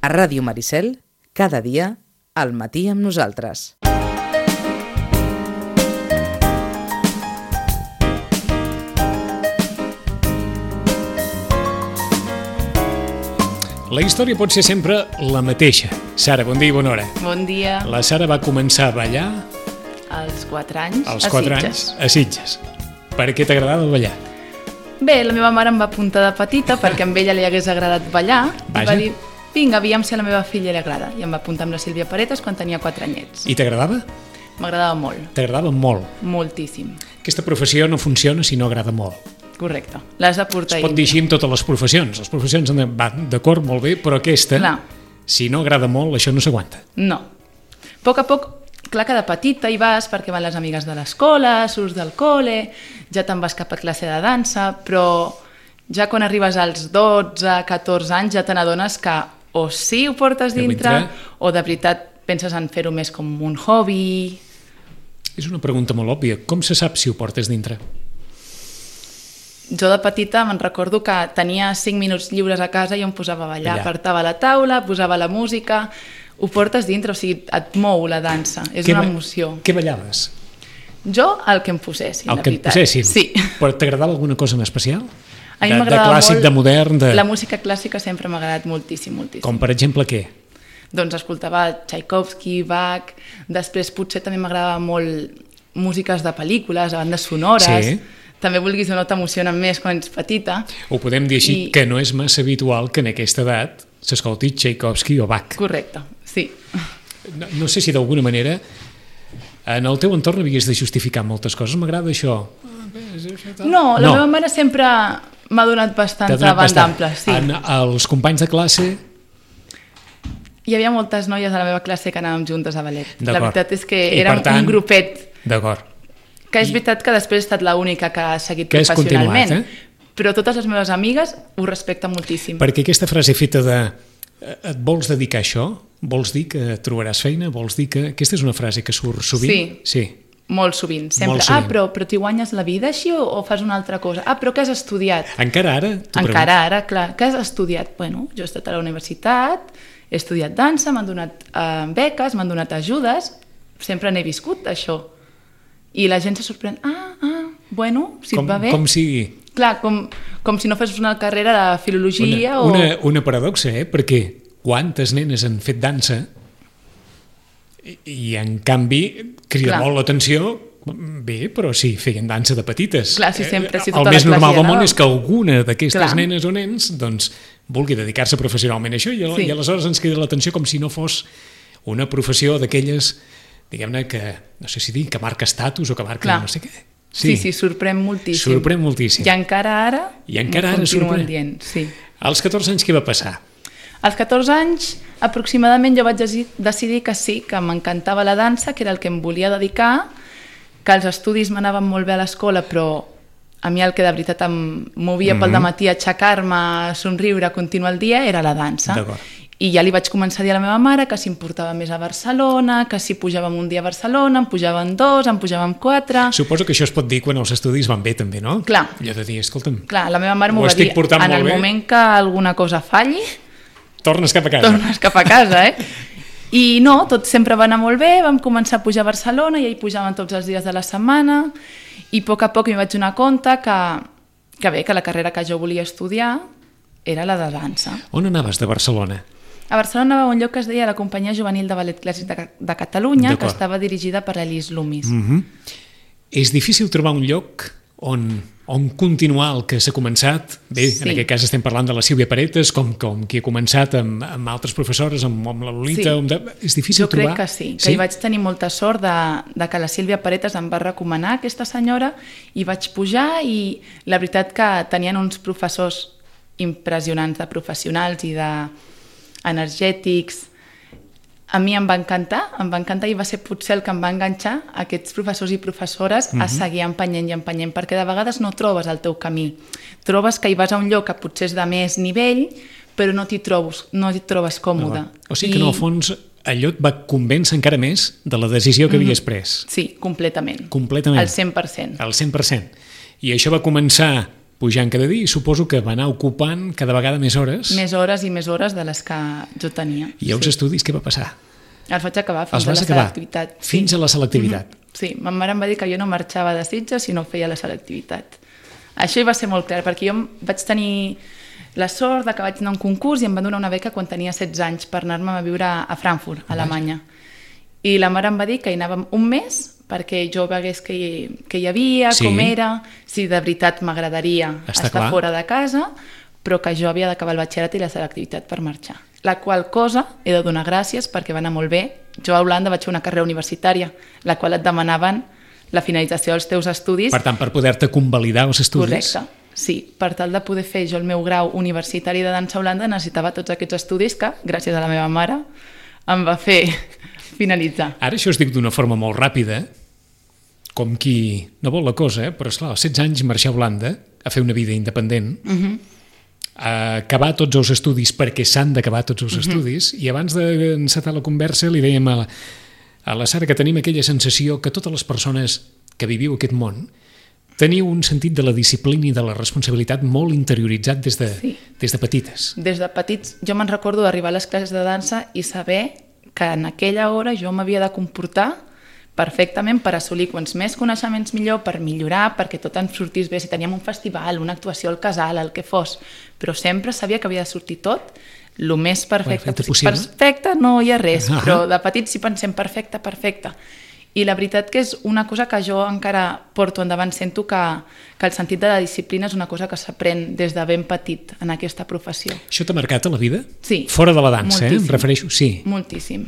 A Ràdio Maricel, cada dia, al matí amb nosaltres. La història pot ser sempre la mateixa. Sara, bon dia i bona hora. Bon dia. La Sara va començar a ballar Als 4 anys, als a 4 Sitges. anys a Sitges. Per què t'agradava ballar? Bé, la meva mare em va apuntar de petita perquè a ella li hagués agradat ballar. Vaja. I va dir, vinga, aviam si a la meva filla li agrada. I em va apuntar amb la Sílvia Paretes quan tenia 4 anyets. I t'agradava? M'agradava molt, T'agradava molt. moltíssim. Aquesta professió no funciona si no agrada molt. Correcte, l'has de portar Es pot dir així amb totes les professions. Les professions van d'acord, molt bé, però aquesta, Clar. si no agrada molt, això no s'aguanta. No. A poc a poc, clar que de petita hi vas perquè van les amigues de l'escola, surts del col·le, ja te'n vas cap a classe de dansa, però ja quan arribes als 12, 14 anys ja te n'adones que o sí ho portes dintre o de veritat penses en fer-ho més com un hobby. És una pregunta molt òbvia. Com se sap si ho portes dintre? Jo de petita me'n recordo que tenia 5 minuts lliures a casa i em posava a ballar. Ballar. Apartava la taula, posava la música, ho portes dintre, o sigui, et mou la dansa, és una emoció. Què ballaves? Jo el que em posessin, El la que et veritat. posessin? Sí. Però t'agradava alguna cosa en especial? A mi De m'agradava clàssic, molt... de modern, de... La música clàssica sempre m'ha agradat moltíssim, moltíssim. Com per exemple què? Doncs escoltava Tchaikovsky, Bach, després potser també m'agradava molt músiques de pel·lícules, de bandes sonores. Sí. També vulguis o no t'emocionen més quan ets petita. Ho podem dir així, que no és massa habitual que en aquesta edat s'escolti Tchaikovsky o Bach. Correcte, sí. No sé si d'alguna manera en el teu entorn havies de justificar moltes coses. M'agrada això. No, la meva mare sempre m'ha donat bastanta banda ampla. Sí. Els companys de classe... Hi havia moltes noies a la meva classe que anàvem juntes a ballet. La veritat és que I, érem per tant, un grupet. D'acord. Que és veritat que després he estat l'única que ha seguit Que has professionalment. continuat, Però totes les meves amigues ho respecten moltíssim. Perquè aquesta frase feta de et vols dedicar a això? Vols dir que trobaràs feina? Vols dir que... Aquesta és una frase que surt sovint? Sí. Molt sovint. Sempre, Molt sovint. però t'hi guanyes la vida així o fas una altra cosa? Però què has estudiat? Encara ara? Encara ara, clar. Què has estudiat? Bueno, jo he estat a la universitat, he estudiat dansa, m'han donat beques, m'han donat ajudes, sempre n'he viscut, això. I la gent se sorprèn. Bueno, si et va bé... Com sigui. Clar, com si no fes una carrera de filologia Una paradoxa, perquè quantes nenes han fet dansa i en canvi crida molt l'atenció. Bé, però sí, feien dansa de petites. Clar, sí, sempre, sí, el més normal del món és que alguna d'aquestes nenes o nens doncs, vulgui dedicar-se professionalment a això i aleshores ens crida l'atenció com si no fos una professió d'aquelles, diguem-ne, que no sé si dir, que marca estatus o que marca no sé què. Sí, sorprèn moltíssim. Sorprèn moltíssim. I encara ara continuen dient. Sí. Als 14 anys què va passar? Als 14 anys, aproximadament, jo vaig decidir que sí, que m'encantava la dansa, que era el que em volia dedicar, que els estudis m'anaven molt bé a l'escola, però a mi el que de veritat em movia pel dematí, aixecar-me, somriure, continuar el dia, era la dansa. I ja li vaig començar a dir a la meva mare que si em portava més a Barcelona, que si pujàvem un dia a Barcelona, em pujaven 2, em pujaven 4... Suposo que això es pot dir quan els estudis van bé també, no? Clar. Allò de dir, escolta'm... Clar, la meva mare m'ho va dir, en el moment que alguna cosa falli... Tornes cap a casa. Tornes cap a casa, I no, tot sempre va anar molt bé, vam començar a pujar a Barcelona i hi pujàvem tots els dies de la setmana i a poc m'hi vaig donar compte que la carrera que jo volia estudiar era la de dansa. On anaves de Barcelona? A Barcelona anava a un lloc que es deia la Companyia Juvenil de Ballet Clàssic de Catalunya, que estava dirigida per Elis Lumis. És difícil trobar un lloc on continuar el que s'ha començat. Bé, en aquest cas estem parlant de la Sílvia Paretes, com qui ha començat amb altres professores, amb la Lolita. És difícil trobar? Jo crec que sí, que hi vaig tenir molta sort de que la Sílvia Paretes em va recomanar aquesta senyora i vaig pujar i la veritat que tenien uns professors impressionants de professionals i d'energètics. A mi em va encantar i va ser potser el que em va enganxar aquests professors i professores a seguir empenyent i empenyent, perquè de vegades no trobes el teu camí. Trobes que hi vas a un lloc que potser és de més nivell, però no t'hi trobes còmode. O sigui que en el fons allò et va convèncer encara més de la decisió que havies pres. Sí, completament. Completament. Al 100%. Al 100%. I això va començar pujant cada dia i suposo que va anar ocupant cada vegada més hores. Més hores i més hores de les que jo tenia. I els estudis què va passar? Els vaig acabar fins a la selectivitat. Fins a la selectivitat. Sí, ma mare em va dir que jo no marxava de Sitges si no feia la selectivitat. Això hi va ser molt clar, perquè jo vaig tenir la sort que vaig anar a un concurs i em van donar una beca quan tenia 16 anys per anar-me a viure a Frankfurt, a Alemanya. I la mare em va dir que hi anàvem un mes perquè jo vegués què hi havia, com era, si de veritat m'agradaria estar fora de casa, però que jo havia d'acabar el batxillerat i la selectivitat per marxar. La qual cosa he de donar gràcies perquè va anar molt bé. Jo a Holanda vaig fer una carrera universitària, la qual et demanaven la finalització dels teus estudis. Per tant, per poder-te convalidar els estudis. Correcte, sí. Per tal de poder fer jo el meu grau universitari de dansa a Holanda necessitava tots aquests estudis que, gràcies a la meva mare, em va fer finalitzar. Ara això es diu d'una forma molt ràpida, com qui no vol la cosa, però esclar, als 16 anys marxar a Holanda a fer una vida independent, a acabar tots els estudis perquè s'han d'acabar tots els estudis, i abans d'encetar la conversa li dèiem a la Sara que tenim aquella sensació que totes les persones que viviu aquest món teniu un sentit de la disciplina i de la responsabilitat molt interioritzat des de petites. Des de petits jo me'n recordo d'arribar a les classes de dansa i saber que en aquella hora jo m'havia de comportar perfectament per assolir quants més coneixements millor, per millorar, perquè tot ens sortís bé. Si teníem un festival, una actuació al casal, el que fos, però sempre sabia que havia de sortir tot el més perfecte possible. Perfecte no hi ha res, però de petits sí pensem perfecte, perfecte. I la veritat que és una cosa que jo encara porto endavant. Sento que el sentit de la disciplina és una cosa que s'aprèn des de ben petit en aquesta professió. Això t'ha marcat a la vida? Sí. Fora de la dansa, moltíssim. Em refereixo? Sí. Moltíssim.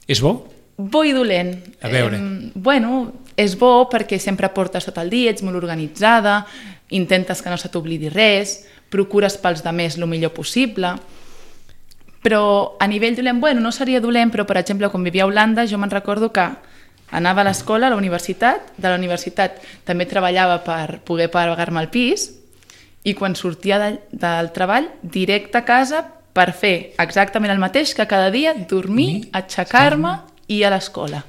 És bo? Bo i dolent. A veure. Bueno, és bo perquè sempre portes tot el dia, ets molt organitzada, intentes que no se t'oblidi res, procures pels demés el millor possible, però a nivell dolent, bueno, no seria dolent, però per exemple, quan vivia a Holanda, jo me'n recordo que anava a l'escola, a la universitat, de la universitat també treballava per poder pagar-me el pis, i quan sortia del treball, directe a casa per fer exactament el mateix que cada dia, dormir, aixecar-me i a l'escola.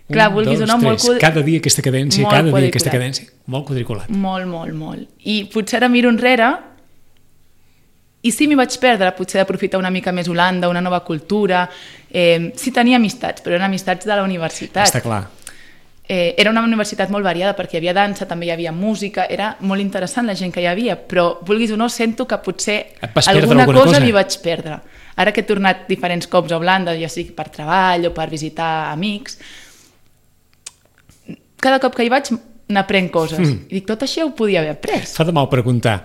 Clar, vulguis o no, molt... Cada dia aquesta cadència, cada dia aquesta cadència. Molt quadriculat. Molt, molt, molt. I potser ara miro enrere i sí m'hi vaig perdre, potser d'aprofitar una mica més Holanda, una nova cultura. Sí tenia amistats, però eren amistats de la universitat. Està clar. Era una universitat molt variada perquè hi havia dansa, també hi havia música, era molt interessant la gent que hi havia, però vulguis o no, sento que potser alguna cosa m'hi vaig perdre. Ara que he tornat diferents cops a Holanda, ja sigui per treball o per visitar amics, cada cop que hi vaig n'aprenc coses. I dic, tot això ho podia haver après. Fa de mal preguntar.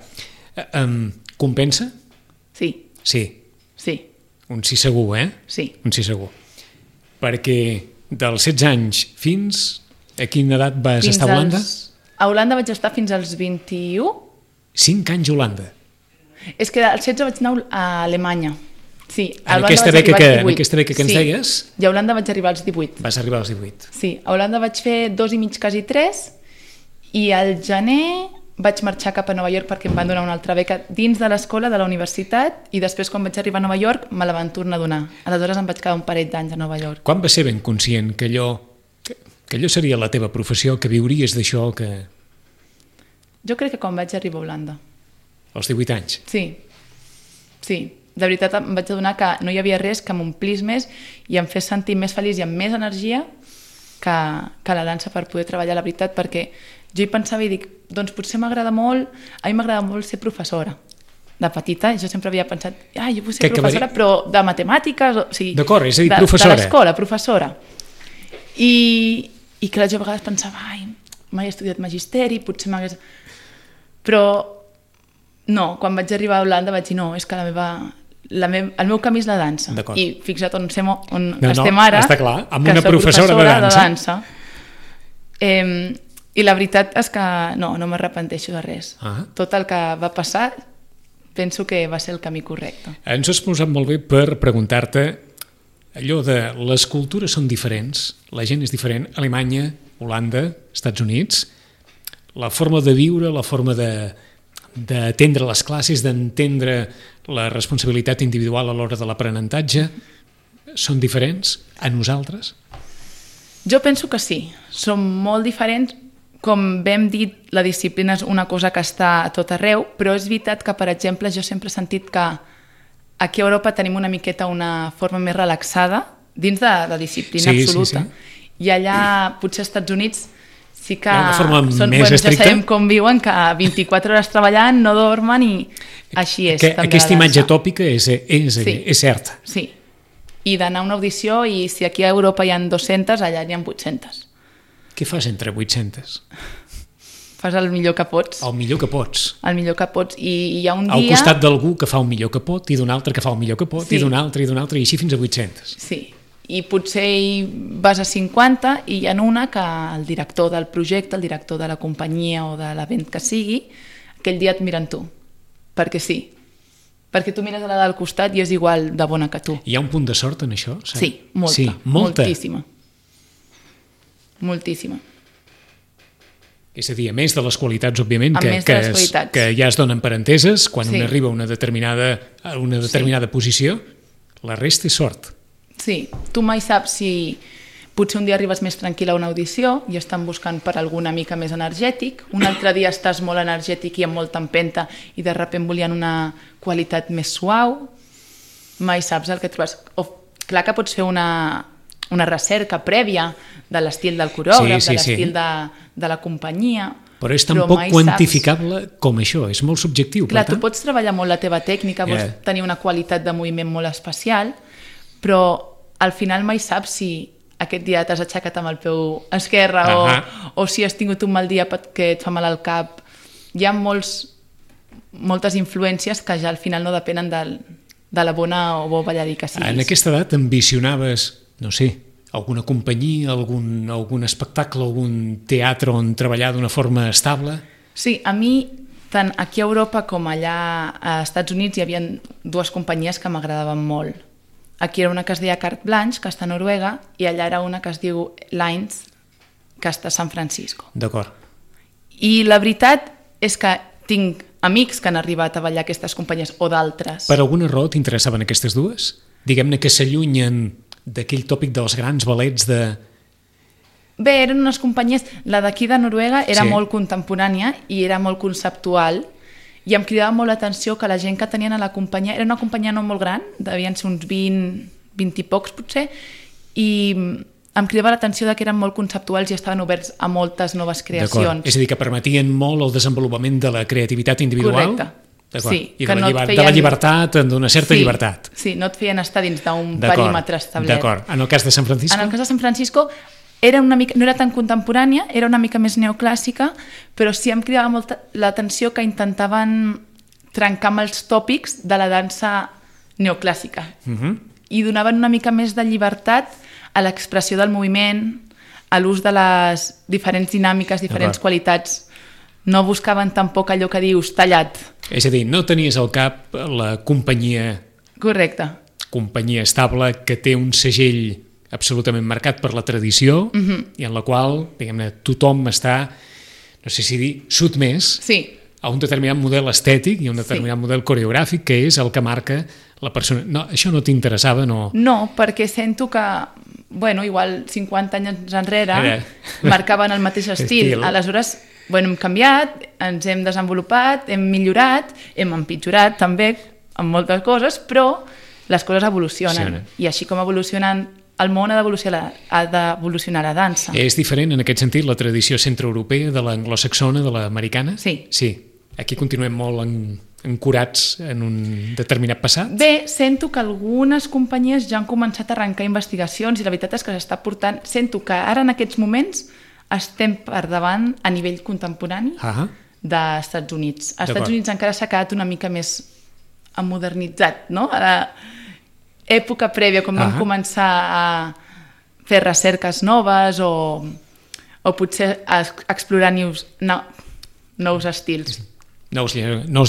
Compensa? Sí. Sí. Sí. Un sí segur, Sí. Un sí segur. Perquè dels 16 anys fins a quina edat vas estar a Holanda? A Holanda vaig estar fins als 21. 5 anys a Holanda. És que als 16 vaig anar a Alemanya. Sí, en aquesta beca que ens deies? I a Holanda vaig arribar als 18. Vas arribar als 18. Sí, a Holanda vaig fer 2 i mig, quasi 3, i al gener vaig marxar cap a Nova York perquè em van donar una altra beca dins de l'escola, de la universitat, i després quan vaig arribar a Nova York me la van tornar a donar. Aleshores em vaig quedar un parell d'anys a Nova York. Quan vas ser ben conscient que allò seria la teva professió, que viuries d'això? Jo crec que quan vaig arribar a Holanda. Als 18 anys? Sí. De veritat em vaig adonar que no hi havia res que m'omplís més i em fes sentir més feliç i amb més energia que la dansa per poder treballar, la veritat, perquè jo hi pensava i dic, doncs potser m'agrada molt, a mi m'agrada molt ser professora. De petita jo sempre havia pensat, jo vull ser professora, però de matemàtiques, o sigui... D'acord, és a dir, professora. De l'escola, professora. I clar, jo a vegades pensava, mai he estudiat magisteri, potser m'hagués... Però no, quan vaig arribar a Holanda vaig dir, no, és que el meu camí és la dansa. I fixa't on estem ara, està clar, amb una professora de dansa. I la veritat és que no m'arrepenteixo de res. Tot el que va passar penso que va ser el camí correcte. Ens has posat molt bé per preguntar-te allò de les cultures són diferents, la gent és diferent, Alemanya, Holanda, Estats Units, la forma de viure, la forma d'atendre les classes, d'entendre la responsabilitat individual a l'hora de l'aprenentatge, són diferents a nosaltres? Jo penso que sí, són molt diferents com vam dit, la disciplina és una cosa que està a tot arreu, però és veritat que, per exemple, jo sempre he sentit que aquí a Europa tenim una miqueta una forma més relaxada dins de la disciplina absoluta. I allà, potser als Estats Units, sí que més estricta. Ja sabem com viuen, que 24 hores treballant, no dormen i així és. Aquesta imatge tòpica és certa. Sí, i d'anar a una audició i si aquí a Europa hi ha 200, allà hi ha 800. Què fas entre 800? Fas el millor que pots. El millor que pots. El millor que pots. I hi ha un dia... Al costat d'algú que fa el millor que pot, i d'un altre que fa el millor que pot, i d'un altre, i així fins a 800. Sí, i potser hi vas a 50 i hi ha una que el director del projecte, el director de la companyia o de l'event que sigui, aquell dia et miren tu, perquè sí. Perquè tu mires a la del costat i és igual de bona que tu. Hi ha un punt de sort en això? Saps? Sí, molta. Moltíssima. Moltíssima. És a dir, a més de les qualitats, òbviament, que ja es donen per enteses, quan un arriba a una determinada posició, la resta és sort. Sí, tu mai saps si potser un dia arribes més tranquil a una audició i estan buscant per alguna mica més energètic, un altre dia estàs molt energètic i amb molta empenta i de sobte volien una qualitat més suau, mai saps el que trobes. Clar que pots fer una recerca prèvia de l'estil del corògraf, de l'estil de la companyia... Però és tan poc quantificable com això, és molt subjectiu. Clar, tu pots treballar molt la teva tècnica, pots tenir una qualitat de moviment molt especial, però al final mai saps si aquest dia t'has aixecat amb el peu esquerre o si has tingut un mal dia que et fa mal al cap. Hi ha moltes influències que ja al final no depenen de la bona o bo ballarí que siguis. En aquesta edat ambicionaves, no sé, alguna companyia, algun espectacle, algun teatre on treballar d'una forma estable? Sí, a mi, tant aquí a Europa com allà als Estats Units, hi havia dues companyies que m'agradaven molt. Aquí era una que es deia Carte Blanche, que està a Noruega, i allà era una que es diu Lines, que està a San Francisco. D'acord. I la veritat és que tinc amics que han arribat a ballar aquestes companyies o d'altres. Per alguna raó t'interessaven aquestes dues? Diguem-ne que s'allunyen d'aquell tòpic dels grans ballets de... Bé, eren unes companyies... La d'aquí de Noruega era molt contemporània i era molt conceptual i em cridava molt l'atenció que la gent que tenien a la companyia... Era una companyia no molt gran, devien ser uns 20 i pocs potser, i em cridava l'atenció que eren molt conceptuals i estaven oberts a moltes noves creacions. D'acord, és a dir, que permetien molt el desenvolupament de la creativitat individual? Correcte. Sí, i de la llibertat, d'una certa llibertat. Sí, no et feien estar dins d'un perímetre establert. D'acord. En el cas de San Francisco? En el cas de San Francisco era una mica, no era tan contemporània, era una mica més neoclàssica, però sí em cridava molt l'atenció que intentaven trencar amb els tòpics de la dansa neoclàssica i donaven una mica més de llibertat a l'expressió del moviment, a l'ús de les diferents dinàmiques, diferents qualitats. No buscaven tampoc allò que dius tallat. És a dir, no tenies al cap la companyia... Correcte. Companyia estable que té un segell absolutament marcat per la tradició i en la qual, diguem-ne, tothom està, no sé si dir, sotmès a un determinat model estètic i un determinat model coreogràfic que és el que marca la persona. No, això no t'interessava, no? No, perquè sento que, bueno, igual 50 anys enrere marcaven el mateix estil. Aleshores, bueno, hem canviat, ens hem desenvolupat, hem millorat, hem empitjorat també en moltes coses, però les coses evolucionen. I així com evolucionen el món, ha d'evolucionar la dansa. És diferent en aquest sentit la tradició centroeuropea de l'anglosaxona, de l'americana? Sí. Sí. Aquí continuem molt ancorats en un determinat passat? Bé, sento que algunes companyies ja han començat a arrencar investigacions i la veritat és que s'està portant... Sento que ara en aquests moments estem per davant a nivell contemporani dels Estats Units. Als Estats Units encara s'ha quedat una mica més modernitzat, no? A l'època prèvia, quan vam començar a fer recerques noves o potser a explorar nous estils. Nous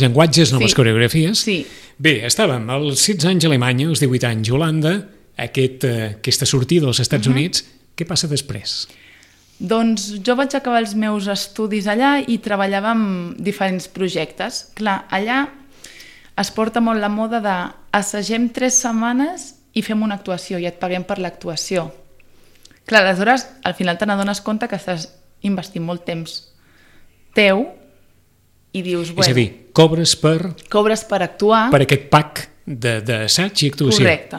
llenguatges, noves coreografies. Sí. Bé, estàvem als 16 anys a Alemanya, als 18 anys a Holanda, aquesta sortida als Estats Units. Què passa després? Doncs jo vaig acabar els meus estudis allà i treballava en diferents projectes. Clar, allà es porta molt la moda de assagem 3 setmanes i fem una actuació i et paguem per l'actuació. Clar, aleshores, al final te n'adones compte que estàs investint molt temps teu i dius... És a dir, cobres per actuar... Per aquest pack d'assaig i actuació. Correcte.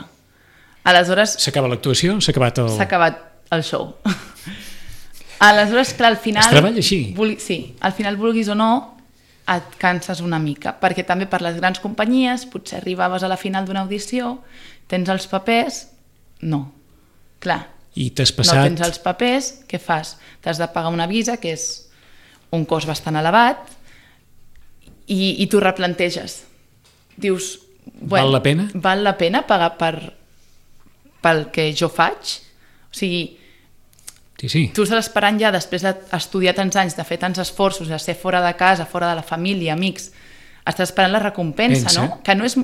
Aleshores... S'acaba l'actuació, s'ha acabat el show. Aleshores, clar, al final... Es treballa així. Sí, al final, vulguis o no, et canses una mica, perquè també per les grans companyies, potser arribaves a la final d'una audició, tens els papers... No, clar. I t'has passat... No tens els papers, què fas? T'has de pagar una visa, que és un cost bastant elevat, i t'ho replanteges. Dius... Val la pena? Val la pena pagar pel que jo faig? O sigui... Sí. Tu estàs esperant ja, després d'estudiar tants anys, de fer tants esforços, de ser fora de casa, fora de la família, amics, estàs esperant la recompensa, no? Que no és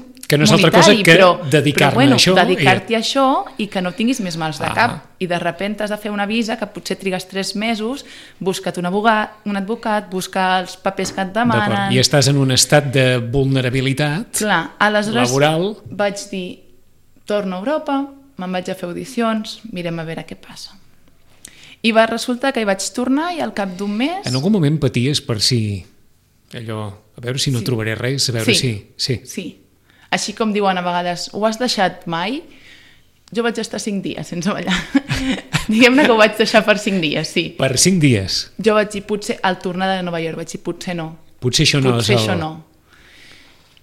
altra cosa que dedicar-me a això. Dedicar-t'hi a això i que no tinguis més mals de cap. I de sobte has de fer una visa que potser trigues 3 mesos, busca't un advocat, busca els papers que et demanen... I estàs en un estat de vulnerabilitat laboral. Vaig dir, torno a Europa, me'n vaig a fer audicions, mirem a veure què passa. I va resultar que hi vaig tornar i al cap d'un mes... En algun moment paties per si... Allò, a veure si no trobaré res, a veure si... Sí. Així com diuen a vegades, ho has deixat mai? Jo vaig estar 5 dies sense ballar. Diguem-ne que ho vaig deixar per 5 dies, sí. Per 5 dies? Jo vaig dir, potser, al tornar de Nova York, vaig dir, potser no. Potser això no és el... Això no.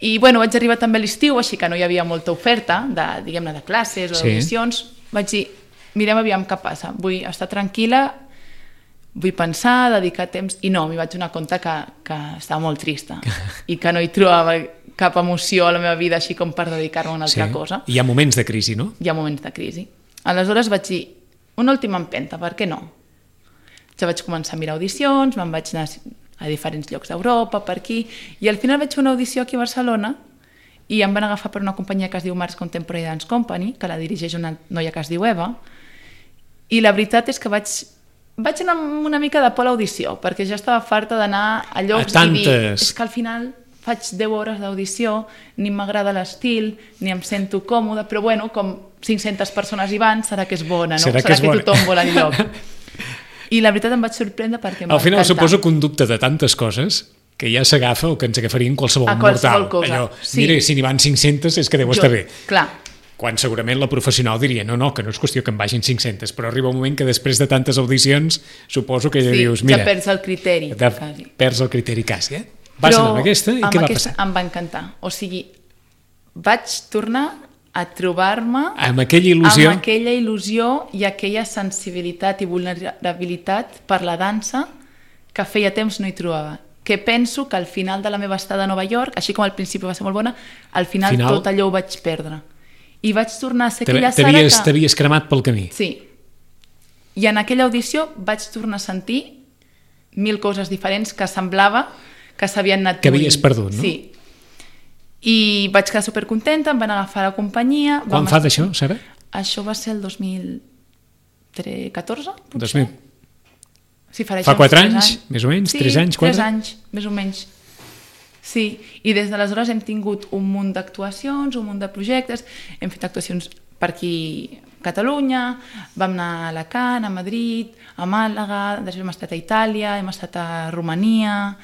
I, bueno, vaig arribar també a l'estiu, així que no hi havia molta oferta, diguem-ne, de classes o d'audicions. Vaig dir, mirem aviam què passa, vull estar tranquil·la, vull pensar, dedicar temps... I no, m'hi vaig donar compte que estava molt trista i que no hi trobava cap emoció a la meva vida així com per dedicar-me a una altra cosa. Hi ha moments de crisi, no? Hi ha moments de crisi. Aleshores vaig dir, una última empenta, per què no? Ja vaig començar a mirar audicions, me'n vaig anar a diferents llocs d'Europa, per aquí, i al final vaig fer una audició aquí a Barcelona i em van agafar per una companyia que es diu Mars Contemporary Dance Company, que la dirigeix una noia que es diu Eva, i la veritat és que vaig anar amb una mica de por a l'audició, perquè ja estava farta d'anar a llocs i dir, és que al final faig 10 hores d'audició, ni m'agrada l'estil, ni em sento còmode, però bueno, com 500 persones hi van, serà que és bona, no? Serà que tothom vol enlloc. I la veritat em vaig sorprendre perquè m'ha encantat. Al final suposo que un dubte de tantes coses que ja s'agafa o que ens agafarien qualsevol mortal. Allò, mira, si n'hi van 500 és que deu estar bé. Clar. Quan segurament la professional diria no, que no és qüestió que en vagin 500, però arriba un moment que després de tantes audicions suposo que ja dius, mira... Ja perds el criteri, quasi. Perds el criteri quasi, Vas anar amb aquesta i què va passar? Em va encantar. O sigui, vaig tornar a trobar-me... Amb aquella il·lusió? Amb aquella il·lusió i aquella sensibilitat i vulnerabilitat per la dansa que feia temps no hi trobava. Que penso que al final de la meva estada a Nova York, així com al principi va ser molt bona, al final tot allò ho vaig perdre. I vaig tornar a ser aquella Sara que... T'havies cremat pel camí. Sí. I en aquella audició vaig tornar a sentir 1000 coses diferents que semblava que s'havien anat que havies perdut, no? Sí. I vaig quedar supercontenta, em van agafar a la companyia... Quan fa d'això, Sara? Això va ser el 2014, potser? 2000. Sí, fa 4 anys, més o menys? Sí, 3 anys? 3 anys, més o menys. Sí, i des d'aleshores hem tingut un munt d'actuacions, un munt de projectes, hem fet actuacions per aquí a Catalunya, vam anar a Alacant, a Madrid, a Màlaga, després hem estat a Itàlia, hem estat a Romania,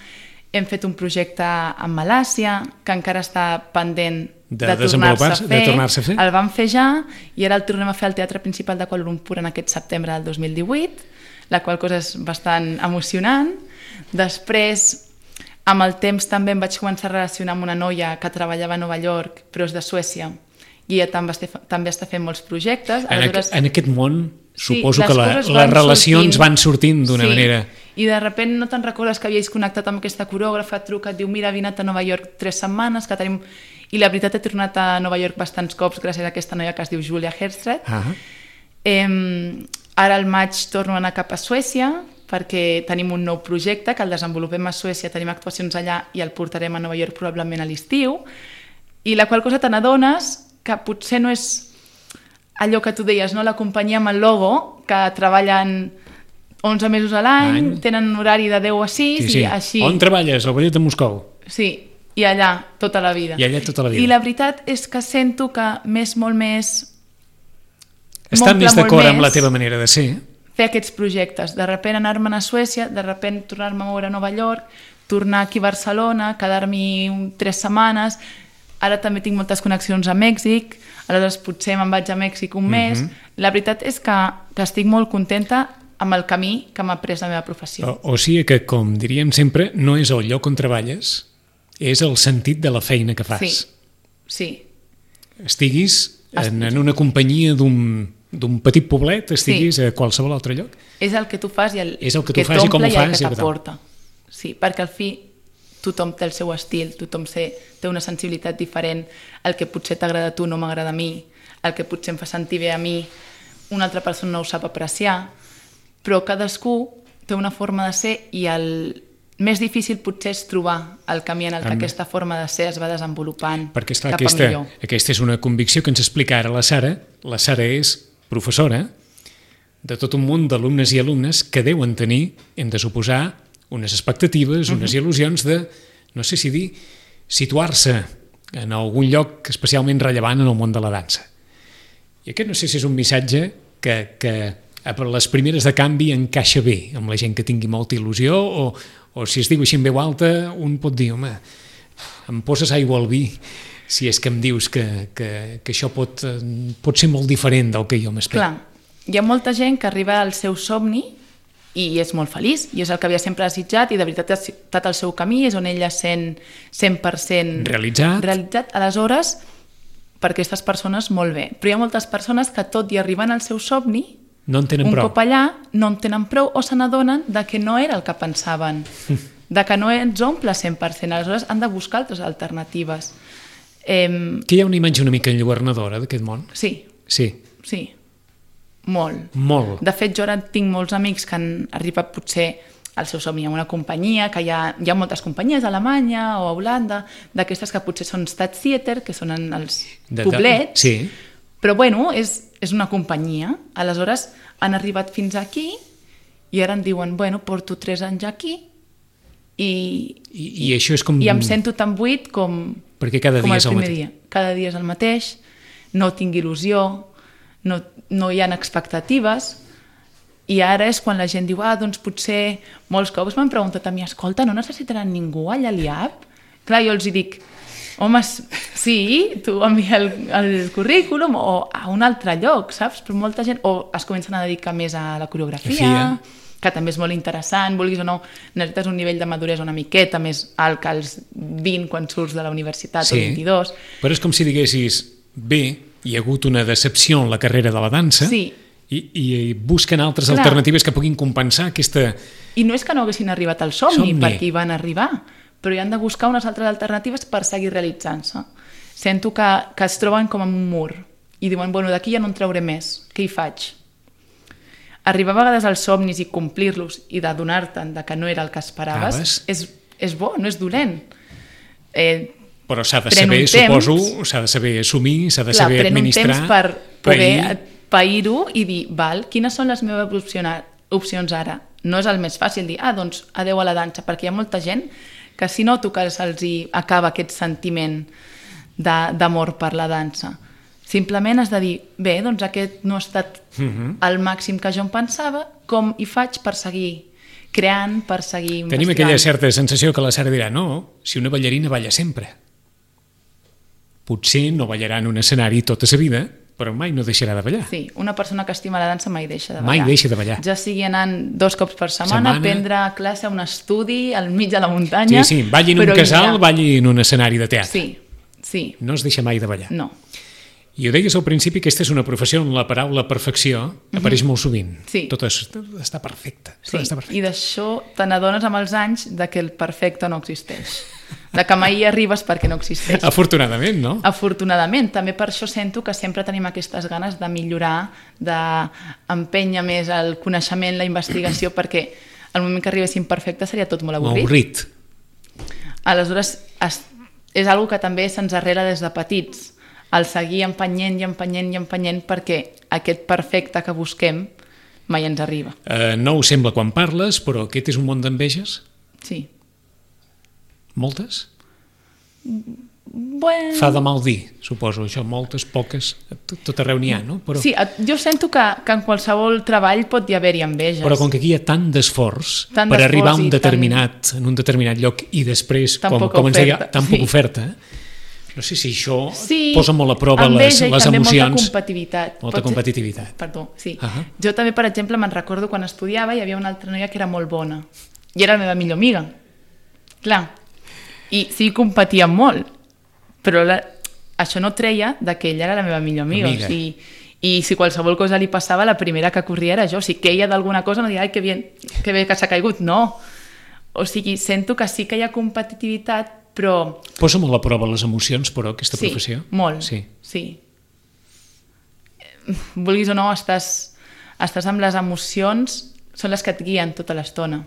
hem fet un projecte a Malàsia, que encara està pendent de tornar-se a fer. El vam fer ja i ara el tornem a fer al Teatre Principal de Kuala Lumpur en aquest setembre del 2018, la qual cosa és bastant emocionant. Després, amb el temps també em vaig començar a relacionar amb una noia que treballava a Nova York, però és de Suècia, i ella també està fent molts projectes. En aquest món suposo que les relacions van sortint d'una manera. I de sobte no te'n recordes que havies connectat amb aquesta corògrafa, et truca, et diu, mira, he anat a Nova York 3 setmanes, que tenim... I la veritat he tornat a Nova York bastants cops gràcies a aquesta noia que es diu Julia Herstred. Ara al maig torno a anar cap a Suècia, perquè tenim un nou projecte que el desenvolupem a Suècia, tenim actuacions allà i el portarem a Nova York probablement a l'estiu, i la qual cosa te n'adones que potser no és allò que tu deies, no? La companyia amb el logo, que treballen 11 mesos a l'any, tenen un horari de 10 a 6 i així... On treballes? Al Ballet de Moscou? Sí, i allà tota la vida. I allà tota la vida. I la veritat és que sento que m'és molt més... Està més d'acord amb la teva manera de ser. fer aquests projectes, de sobte anar-me'n a Suècia, de sobte tornar-me a moure a Nova York, tornar aquí a Barcelona, quedar-m'hi 3 setmanes, ara també tinc moltes connexions a Mèxic, aleshores potser me'n vaig a Mèxic un mes. La veritat és que estic molt contenta amb el camí que m'ha pres la meva professió. O sigui que, com diríem sempre, no és el lloc on treballes, és el sentit de la feina que fas. Sí. Estiguis en una companyia d'un petit poblet, estiguis a qualsevol altre lloc. És el que tu fas i el que t'omple i el que t'aporta. Sí, perquè al fi tothom té el seu estil, tothom té una sensibilitat diferent, el que potser t'agrada a tu no m'agrada a mi, el que potser em fa sentir bé a mi, una altra persona no ho sap apreciar, però cadascú té una forma de ser i el més difícil potser és trobar el camí en el que aquesta forma de ser es va desenvolupant perquè, esclar, cap a millor. Aquesta és una convicció que ens explica ara la Sara. La Sara és professora de tot un munt d'alumnes i alumnes que deuen tenir, hem de suposar, unes expectatives, unes il·lusions de, no sé si dir, situar-se en algun lloc especialment rellevant en el món de la dansa. I aquest no sé si és un missatge que a les primeres de canvi encaixa bé amb la gent que tingui molta il·lusió o si es diu així en veu alta, un pot dir, home, em poses aigua al vi si és que em dius que això pot ser molt diferent del que jo m'espero. Clar, hi ha molta gent que arriba al seu somni i és molt feliç, i és el que havia sempre desitjat i de veritat ha estat el seu camí, és on ella sent 100% realitzat. Aleshores, per aquestes persones molt bé. Però hi ha moltes persones que tot i arribant al seu somni, no en tenen prou. Un cop allà no en tenen prou o se n'adonen que no era el que pensaven, que no ens omple 100%, aleshores han de buscar altres alternatives. Que hi ha una imatge una mica enlluernadora d'aquest món? Sí. Molt. De fet, jo ara tinc molts amics que han arribat potser al seu somni en una companyia, que hi ha moltes companyies a Alemanya o a Holanda, d'aquestes que potser són Staatstheater, que són en els poblets, però bueno, és una companyia. Aleshores han arribat fins aquí i ara em diuen, bueno, porto 3 anys aquí i això és com... I em sento tan buit com el primer dia. Cada dia és el mateix, no tinc il·lusió, no hi ha expectatives, i ara és quan la gent diu, doncs potser molts cops m'han preguntat a mi, escolta, no necessitaran ningú allà a l'IAP? Clar, jo els dic, home, sí, tu envia el currículum o a un altre lloc, saps? Però molta gent, o es comencen a dedicar més a la coreografia, que també és molt interessant, vulguis o no, necessites un nivell de maduresa una miqueta més alt que els 20 quan surts de la universitat o 22. Però és com si diguessis, bé, hi ha hagut una decepció en la carrera de la dansa i busquen altres alternatives que puguin compensar aquesta... I no és que no haguessin arribat al somni, perquè hi van arribar, però hi han de buscar unes altres alternatives per seguir realitzant-se. Sento que es troben com en un mur i diuen, bueno, d'aquí ja no en trauré més, què hi faig? Arribar a vegades als somnis i complir-los i d'adonar-te'n que no era el que esperaves és bo, no és dolent. Però s'ha de saber, suposo, s'ha de saber assumir, s'ha de saber administrar... Pren un temps per poder pair-ho i dir, val, quines són les meves opcions ara? No és el més fàcil dir, doncs adeu a la dansa, perquè hi ha molta gent que si noto que se'ls acaba aquest sentiment d'amor per la dansa. Simplement has de dir, bé, doncs aquest no ha estat el màxim que jo em pensava, com hi faig per seguir creant, per seguir investigant? Tenim aquella certa sensació que la Sara dirà, no, si una ballarina balla sempre. Potser no ballarà en un escenari tota sa vida, però mai no deixarà de ballar. Sí, una persona que estima la dansa mai deixa de ballar. Mai deixa de ballar. Ja sigui anant 2 cops per setmana, prendre classe a un estudi al mig de la muntanya... Sí, balli en un casal, balli en un escenari de teatre. Sí. No es deixa mai de ballar. No. I ho deies al principi, aquesta és una professió on la paraula perfecció apareix molt sovint. Sí. Tot està perfecte. Sí, i d'això te n'adones amb els anys que el perfecte no existeix. Que mai hi arribes perquè no existeix. Afortunadament, no? Afortunadament. També per això sento que sempre tenim aquestes ganes de millorar, d'empènyer més el coneixement, la investigació, perquè al moment que arribéssim perfecte seria tot molt avorrit. Aleshores, és una cosa que també se'ns arrela des de petits, el seguir empenyent i empenyent i empenyent perquè aquest perfecte que busquem mai ens arriba. No ho sembla quan parles, però aquest és un món d'enveges? Sí. Moltes? Bueno... Fa de mal dir, suposo, això, moltes, poques, tot arreu n'hi ha, no? Però... Sí, jo sento que en qualsevol treball pot haver-hi enveges. Però com que aquí hi ha tant d'esforç per arribar a un determinat lloc i després, com ens deia, tan poca oferta, no sé si això posa molt a prova les emocions. Sí, també molta competitivitat. Molta competitivitat. Perdó, sí. Jo també, per exemple, me'n recordo quan estudiava hi havia una altra noia que era molt bona i era la meva millor amiga. Clar, i sí competíem molt, però això no treia que ella era la meva millor amiga. O sigui, i si qualsevol cosa li passava, la primera que corria era jo. O sigui, que ella d'alguna cosa no diria, ai, que bé que s'ha caigut. No. O sigui, sento que sí que hi ha competitivitat, però... Posa molt a prova les emocions, però, aquesta professió? Molt, sí. Vulguis o no, estàs amb les emocions, són les que et guien tota l'estona.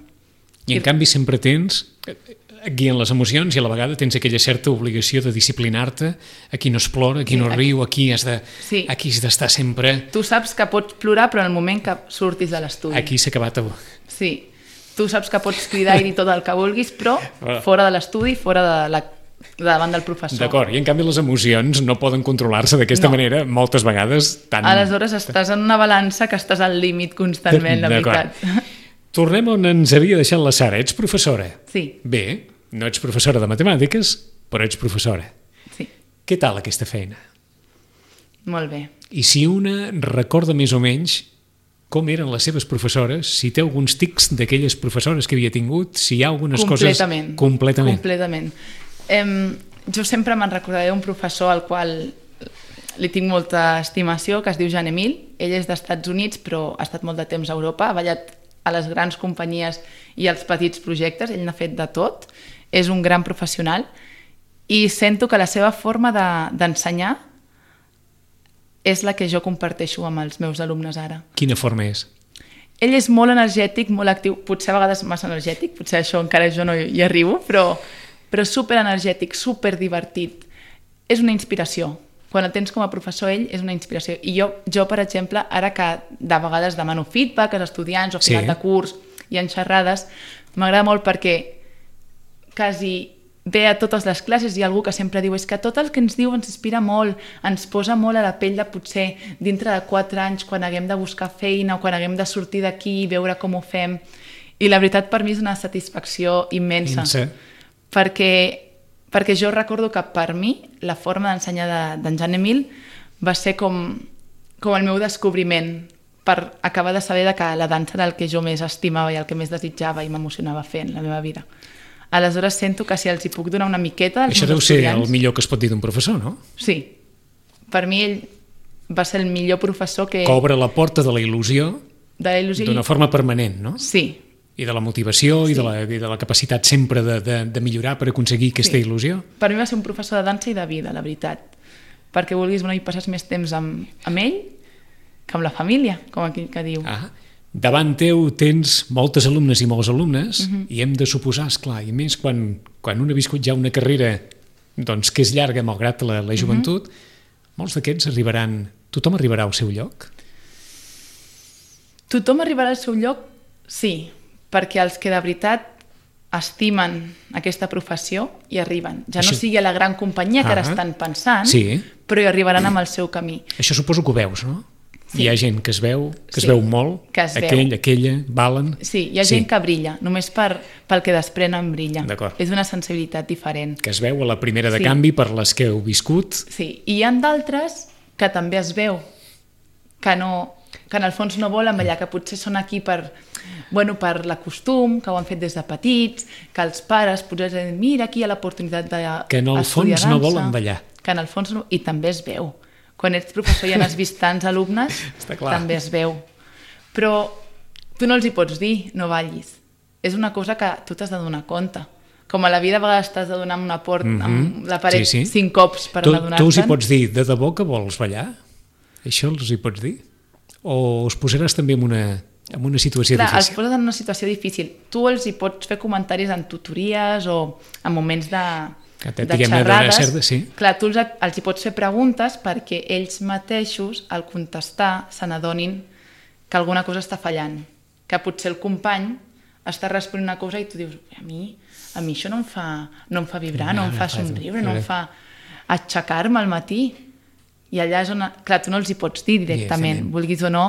I en canvi sempre et guien les emocions i a la vegada tens aquella certa obligació de disciplinar-te, aquí no es plora, aquí no riu, aquí has d'estar sempre... Tu saps que pots plorar, però en el moment que surtis de l'estudi. Aquí s'ha acabat... Sí, tu saps que pots cridar i dir tot el que vulguis, però fora de l'estudi, fora de davant del professor. D'acord, i en canvi les emocions no poden controlar-se d'aquesta manera, moltes vegades tan... Aleshores estàs en una balança que estàs al límit constantment, la veritat. Tornem on ens havia deixat la Sara. Ets professora? Sí. Bé, no ets professora de matemàtiques, però ets professora. Sí. Què tal aquesta feina? Molt bé. I si una recorda més o menys com eren les seves professores, si té alguns tics d'aquelles professores que havia tingut, si hi ha algunes coses... Completament. Jo sempre me'n recordaré d'un professor al qual li tinc molta estimació, que es diu Jean Emile. Ell és d'Estats Units, però ha estat molt de temps a Europa, ha ballat a les grans companyies i als petits projectes, ell n'ha fet de tot, és un gran professional i sento que la seva forma d'ensenyar és la que jo comparteixo amb els meus alumnes ara. Quina forma és? Ell és molt energètic, molt actiu, potser a vegades massa energètic, potser això encara jo no hi arribo, però superenergètic, superdivertit. És una inspiració. Quan el tens com a professor, ell és una inspiració. I jo, per exemple, ara que de vegades demano feedback als estudiants o a final de curs i en xerrades, m'agrada molt perquè quasi ve a totes les classes i algú que sempre diu és que tot el que ens diu ens inspira molt, ens posa molt a la pell de potser dintre de 4 anys quan haguem de buscar feina o quan haguem de sortir d'aquí i veure com ho fem. I la veritat per mi és una satisfacció immensa. Perquè jo recordo que per mi la forma d'ensenyar d'en Jean Emile va ser com el meu descobriment per acabar de saber que la dansa era el que jo més estimava i el que més desitjava i m'emocionava fer en la meva vida. Aleshores sento que si els hi puc donar una miqueta als meus estudiants... Això deu ser el millor que es pot dir d'un professor, no? Sí. Per mi ell va ser el millor professor que... Que obre la porta de la il·lusió d'una forma permanent, no? Sí. I de la motivació i de la capacitat sempre de millorar per aconseguir aquesta il·lusió. Per mi va ser un professor de dansa i de vida, la veritat. Perquè vulguis hi passes més temps amb ell que amb la família, com aquell que diu. Davant teu tens moltes alumnes i molts alumnes i hem de suposar, esclar, i més quan un ha viscut ja una carrera que és llarga malgrat la joventut, molts d'aquests arribaran... Tothom arribarà al seu lloc? Tothom arribarà al seu lloc, sí, perquè els que de veritat estimen aquesta professió hi arriben. Ja no sigui a la gran companyia que ara estan pensant, però hi arribaran amb el seu camí. Això suposo que ho veus, no? Hi ha gent que es veu molt, aquella, valen... Sí, hi ha gent que brilla, només pel que desprenen brilla. És una sensibilitat diferent. Que es veu a la primera de canvi per les que heu viscut. Sí, i hi ha d'altres que també es veu, que en el fons no volen ballar, que potser són aquí per la costum, que ho han fet des de petits, que els pares potser diuen, mira, aquí hi ha l'oportunitat d'estudiar dansa. Que en el fons no volen ballar. Que en el fons no, i també es veu. Quan ets professor i has vist tants alumnes, també es veu. Però tu no els hi pots dir, no ballis. És una cosa que tu t'has de donar compte. Com a la vida a vegades t'has de donar amb una porta, amb la paret 5 cops per adonar-te'n. Tu els hi pots dir, de debò que vols ballar? Això els hi pots dir? O us posaràs també en una situació difícil? Els poses en una situació difícil. Tu els hi pots fer comentaris en tutories o en moments de xerrades. Clar, tu els hi pots fer preguntes perquè ells mateixos, al contestar, se n'adonin que alguna cosa està fallant. Que potser el company està responent una cosa i tu dius, a mi a mi això no em fa vibrar, no em fa somriure, no em fa aixecar-me al matí. I allà és on... Clar, tu no els hi pots dir directament, vulguis o no,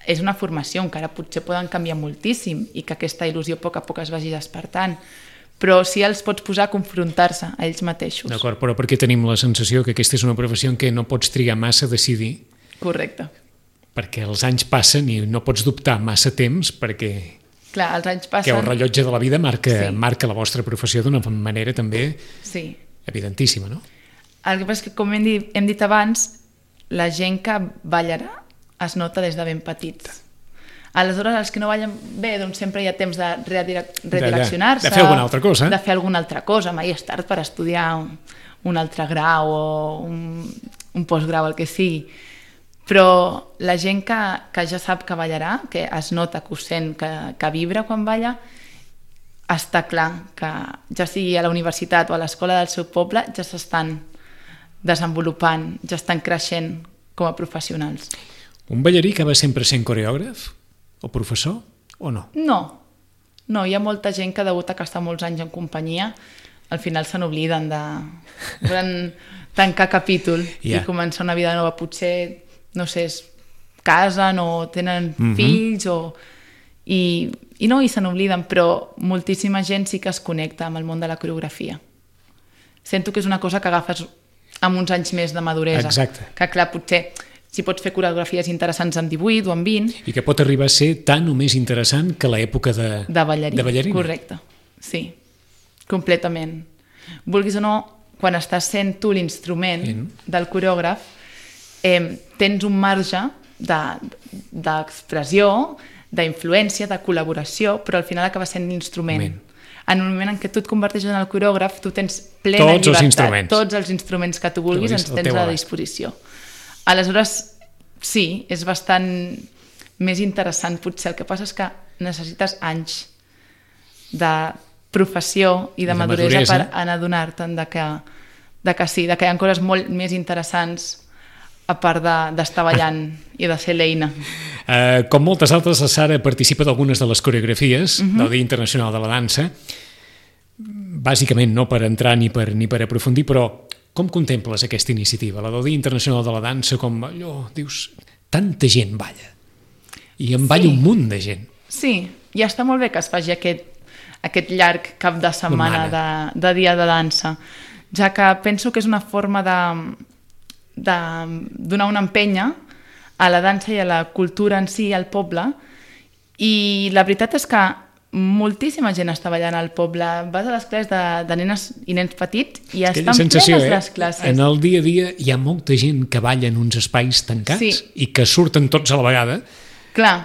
és una formació, encara potser poden canviar moltíssim i que aquesta il·lusió a poc es vagi despertant, però sí els pots posar a confrontar-se a ells mateixos. D'acord, però perquè tenim la sensació que aquesta és una professió en què no pots trigar massa a decidir. Correcte. Perquè els anys passen i no pots dubtar massa temps perquè... Clar, els anys passen... Que el rellotge de la vida marca la vostra professió d'una manera també evidentíssima, no? El que passa és que, com hem dit abans, la gent que ballarà es nota des de ben petits. Aleshores, els que no ballen bé, doncs sempre hi ha temps de redireccionar-se. De fer alguna altra cosa. De fer alguna altra cosa. Mai és tard per estudiar un altre grau o un postgrau, el que sigui. Però la gent que ja sap que ballarà, que es nota, que ho sent, que vibra quan balla, està clar que ja sigui a la universitat o a l'escola del seu poble ja s'estan desenvolupant, ja estan creixent com a professionals. Un ballarí que va sempre sent coreògraf o professor o no? No, hi ha molta gent que degut a que està molts anys en companyia al final se n'obliden de tancar capítol i començar una vida nova. Potser, no sé, es casen o tenen fills i se n'obliden, però moltíssima gent sí que es connecta amb el món de la coreografia. Sento que és una cosa que agafes amb uns anys més de maduresa. Exacte. Que clar, potser si pots fer coreografies interessants amb 18 o amb 20... I que pot arribar a ser tan o més interessant que l'època de ballarina. Correcte, sí, completament. Vulguis o no, quan estàs sent tu l'instrument del coreògraf, tens un marge d'expressió, d'influència, de col·laboració, però al final acaba sent l'instrument. En el moment en què tu et converteixes en el coreògraf, tu tens plena llibertat. Tots els instruments que tu vulguis els tens a disposició. Aleshores, sí, és bastant més interessant potser. El que passa és que necessites anys de professió i de maduresa per anar a donar-te'n que sí, que hi ha coses molt més interessants a part d'estar ballant i de ser l'eina. Com moltes altres, la Sara participa d'algunes de les coreografies del Dia Internacional de la Dansa, bàsicament no per entrar ni per aprofundir, però com contemples aquesta iniciativa, la del Dia Internacional de la Dansa, com allò, dius, tanta gent balla, i en balla un munt de gent. Sí, i està molt bé que es faci aquest llarg cap de setmana de dia de dansa, ja que penso que és una forma de donar una empenya a la dansa i a la cultura en si, al poble, i la veritat és que moltíssima gent està ballant al poble. Vas a les classes de nenes i nens petits i estan plenes les classes. En el dia a dia hi ha molta gent que balla en uns espais tancats i que surten tots a la vegada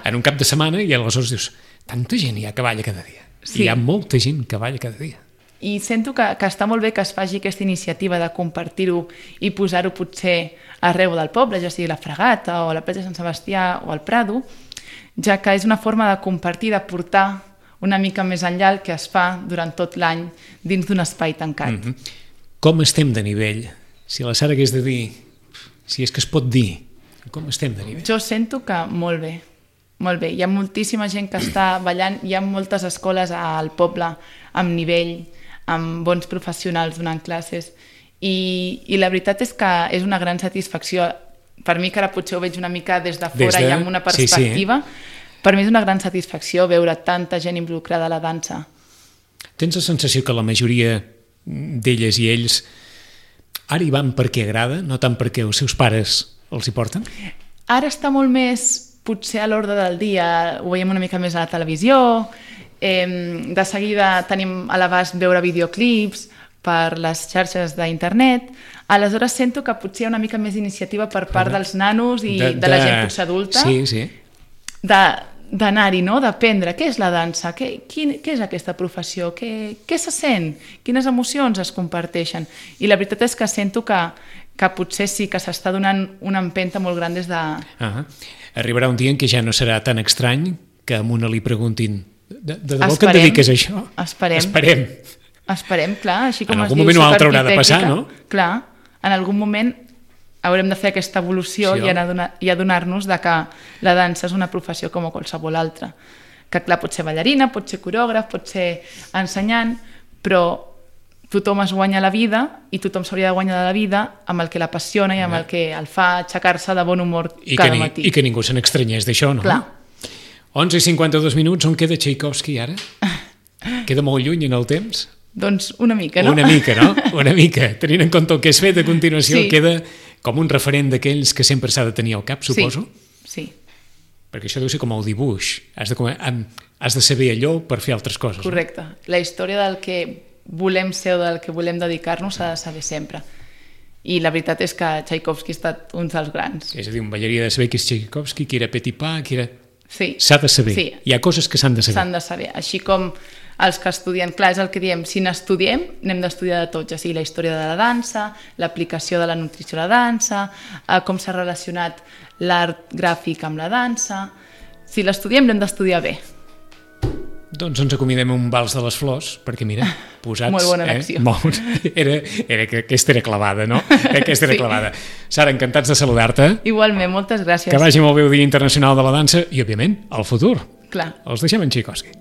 en un cap de setmana i aleshores dius, tanta gent hi ha que balla cada dia. Hi ha molta gent que balla cada dia. I sento que està molt bé que es faci aquesta iniciativa de compartir-ho i posar-ho potser arreu del poble, ja sigui la Fregata o la platja de Sant Sebastià o el Prado, ja que és una forma de compartir, de portar una mica més enllà el que es fa durant tot l'any dins d'un espai tancat. Com estem de nivell? Si la Sara hagués de dir, si és que es pot dir, com estem de nivell? Jo sento que molt bé, molt bé. Hi ha moltíssima gent que està ballant, hi ha moltes escoles al poble amb nivell, amb bons professionals donant classes i la veritat és que és una gran satisfacció. Per mi, que ara potser ho veig una mica des de fora i amb una perspectiva, per mi és una gran satisfacció veure tanta gent involucrada a la dansa. Tens la sensació que la majoria d'elles i ells ara hi van perquè agrada, no tant perquè els seus pares els hi porten? Ara està molt més, potser a l'ordre del dia, ho veiem una mica més a la televisió, de seguida tenim a l'abast veure videoclips per les xarxes d'internet, aleshores sento que potser hi ha una mica més d'iniciativa per part dels nanos i de la gent potser adulta, d'anar-hi, no? D'aprendre què és la dansa, què és aquesta professió, què se sent, quines emocions es comparteixen. I la veritat és que sento que potser sí que s'està donant una empenta molt gran des de... Arribarà un dia en què ja no serà tan estrany que a una li preguntin de debò que et dediques a això? Esperem, clar, així com en algun moment o altre haurà de passar, no? Clar, en algun moment haurem de fer aquesta evolució i adonar-nos de que la dansa és una professió com qualsevol altra. Que clar, pot ser ballarina, pot ser coreògraf, pot ser ensenyant, però tothom es guanya la vida i tothom s'hauria de guanyar la vida amb el que l'apassiona i amb el que el fa aixecar-se de bon humor cada matí. I que ningú se n'extranyés d'això, no? Clar. 11:52, on queda Tchaikovsky ara? Queda molt lluny en el temps? Doncs una mica, no? Una mica, no? Una mica. Tenint en compte el que has fet a continuació, queda com un referent d'aquells que sempre s'ha de tenir al cap, suposo? Sí. Perquè això deu ser com el dibuix. Has de saber allò per fer altres coses. Correcte. La història del que volem ser o del que volem dedicar-nos s'ha de saber sempre. I la veritat és que Tchaikovsky ha estat un dels grans. És a dir, un ballarí ha de saber qui és Tchaikovsky, qui era Petipa, qui era... Sí. S'ha de saber. Sí. Hi ha coses que s'han de saber. S'han de saber. Així com els que estudien, clar, és el que diem, si n'estudiem, n'hem d'estudiar de tots, o sigui, la història de la dansa, l'aplicació de la nutrició a la dansa, com s'ha relacionat l'art gràfic amb la dansa. Si l'estudiem, l'hem d'estudiar bé. Doncs ens acomidem un vals de les flors, perquè mira, posats... Molt bona elecció. Era que aquesta era clavada, no? Aquesta era clavada. Sara, encantats de saludar-te. Igualment, moltes gràcies. Que vagi molt bé el Dia Internacional de la Dansa i, òbviament, el futur. Clar. Els deixem en Tchaikovsky.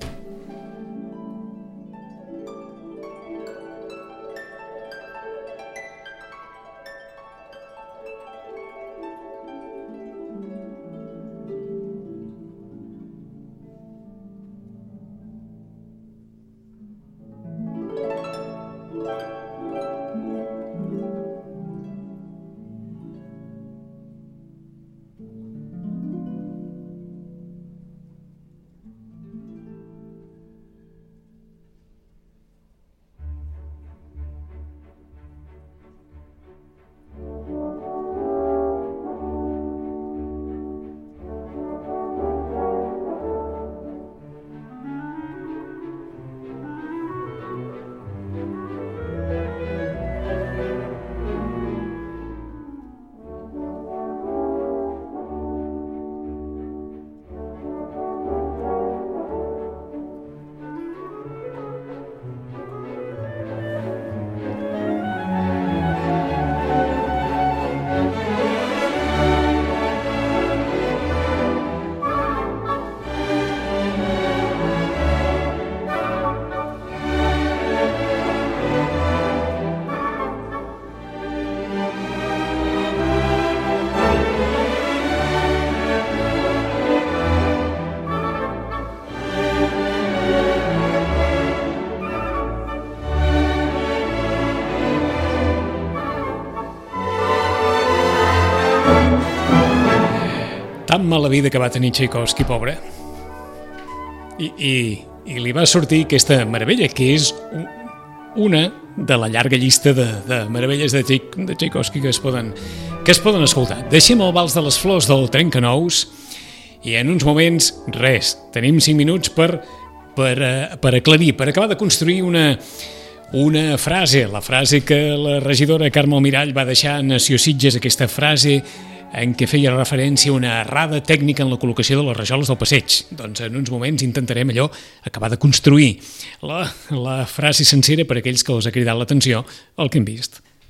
Tan mala vida que va tenir Tchaikovsky, pobre. I li va sortir aquesta meravella, que és una de la llarga llista de meravelles de Tchaikovsky que es poden escoltar. Deixem el vals de les flors del Trencanous i en uns moments, res, tenim 5 minuts per aclarir, per acabar de construir una frase, la frase que la regidora Carme Almirall va deixar a Nació Sitges, aquesta frase en què feia referència a una errada tècnica en la col·locació de les rajoles del passeig. Doncs en uns moments intentarem acabar de construir la frase sencera per a aquells que els ha cridat l'atenció el que hem vist.